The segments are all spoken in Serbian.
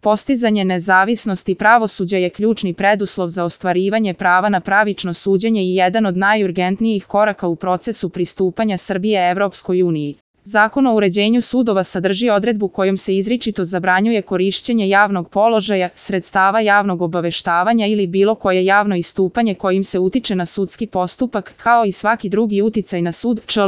Postizanje nezavisnosti pravosuđa je ključni preduslov za ostvarivanje prava na pravično suđenje i jedan od najurgentnijih koraka u procesu pristupanja Srbije Evropskoj uniji. Zakon o uređenju sudova sadrži odredbu kojom se izričito zabranjuje korišćenje javnog položaja, sredstava javnog obaveštavanja ili bilo koje javno istupanje kojim se utiče na sudski postupak, kao i svaki drugi uticaj na sud, čl.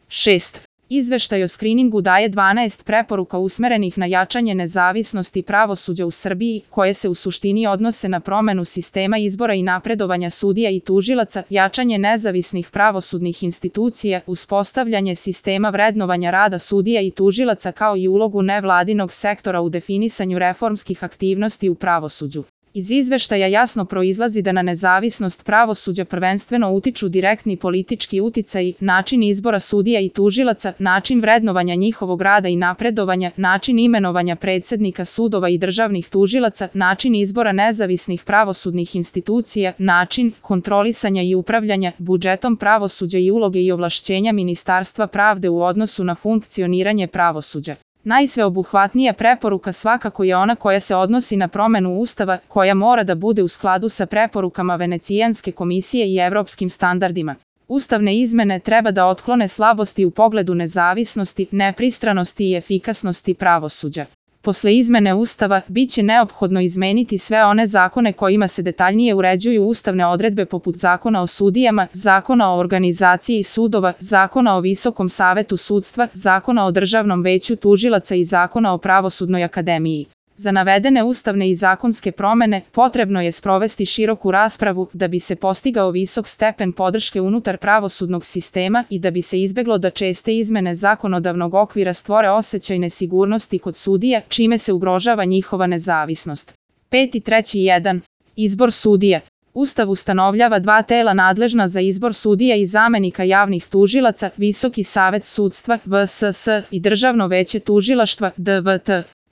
6. Izveštaj o skriningu daje 12 preporuka usmerenih na jačanje nezavisnosti pravosuđa u Srbiji, koje se u suštini odnose na promenu sistema izbora i napredovanja sudija i tužilaca, jačanje nezavisnih pravosudnih institucija, uspostavljanje sistema vrednovanja rada sudija i tužilaca kao i ulogu nevladinog sektora u definisanju reformskih aktivnosti u pravosuđu. Iz izveštaja jasno proizlazi da na nezavisnost pravosuđa prvenstveno utiču direktni politički uticaji, način izbora sudija i tužilaca, način vrednovanja njihovog rada i napredovanja, način imenovanja predsednika sudova i državnih tužilaca, način izbora nezavisnih pravosudnih institucija, način kontrolisanja i upravljanja budžetom pravosuđa i uloge i ovlašćenja Ministarstva pravde u odnosu na funkcioniranje pravosuđa. Najsveobuhvatnija preporuka svakako je ona koja se odnosi na promenu Ustava, koja mora da bude u skladu sa preporukama Venecijanske komisije i evropskim standardima. Ustavne izmene treba da otklone slabosti u pogledu nezavisnosti, nepristranosti i efikasnosti pravosuđa. Posle izmene Ustava, biće neophodno izmeniti sve one zakone kojima se detaljnije uređuju ustavne odredbe poput Zakona o sudijama, Zakona o organizaciji sudova, Zakona o Visokom savetu sudstva, Zakona o Državnom veću tužilaca i Zakona o Pravosudnoj akademiji. Za navedene ustavne i zakonske promene potrebno je sprovesti široku raspravu da bi se postigao visok stepen podrške unutar pravosudnog sistema i da bi se izbeglo da česte izmene zakonodavnog okvira stvore osećaj nesigurnosti kod sudija, čime se ugrožava njihova nezavisnost. 5.3.1. Izbor sudija. Ustav ustanovljava dva tela nadležna za izbor sudija i zamenika javnih tužilaca, Visoki savet sudstva, VSS, i Državno veće tužilaštva, DVT.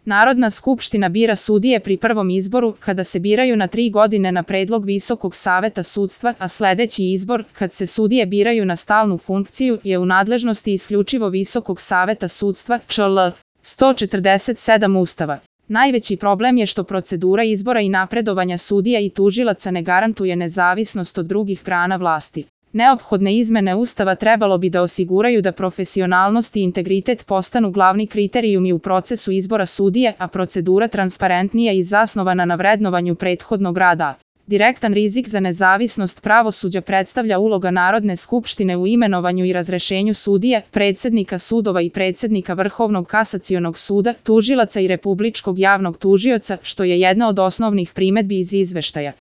Narodna skupština bira sudije pri prvom izboru, kada se biraju na 3 godine na predlog Visokog saveta sudstva, a sledeći izbor, kad se sudije biraju na stalnu funkciju, je u nadležnosti isključivo Visokog saveta sudstva, čl. 147 Ustava. Najveći problem je što procedura izbora i napredovanja sudija i tužilaca ne garantuje nezavisnost od drugih grana vlasti. Neophodne izmene Ustava trebalo bi da osiguraju da profesionalnost i integritet postanu glavni kriterijumi u procesu izbora sudija, a procedura transparentnija i zasnovana na vrednovanju prethodnog rada. Direktan rizik za nezavisnost pravosuđa predstavlja uloga Narodne skupštine u imenovanju i razrešenju sudija, predsednika sudova i predsednika Vrhovnog kasacionog suda, tužilaca i Republičkog javnog tužioca, što je jedna od osnovnih primedbi iz izveštaja.